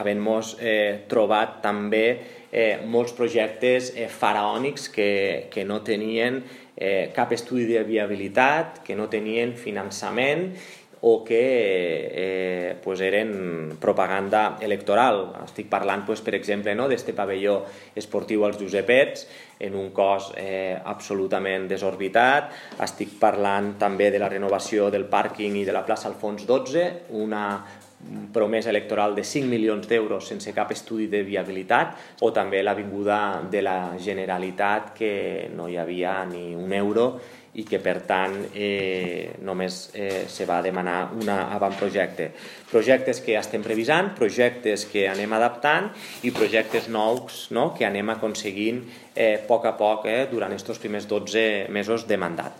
Havent-nos trobat també molts projectes faraònics que no tenien cap estudi de viabilitat, que no tenien finançament o que eren propaganda electoral. Estic parlant, per exemple, d'aquest pavelló esportiu als Josepets, en un cost absolutament desorbitat. Estic parlant també de la renovació del pàrquing i de la plaça Alfons XII, una promesa electoral de 5 milions d'euros sense cap estudi de viabilitat, o també l'Avinguda de la Generalitat, que no hi havia ni un euro i que per tant només se va demanar un avantprojecte. Projectes que estem revisant, projectes que anem adaptant i projectes nous que anem aconseguint a poc durant aquests primers 12 mesos de mandat.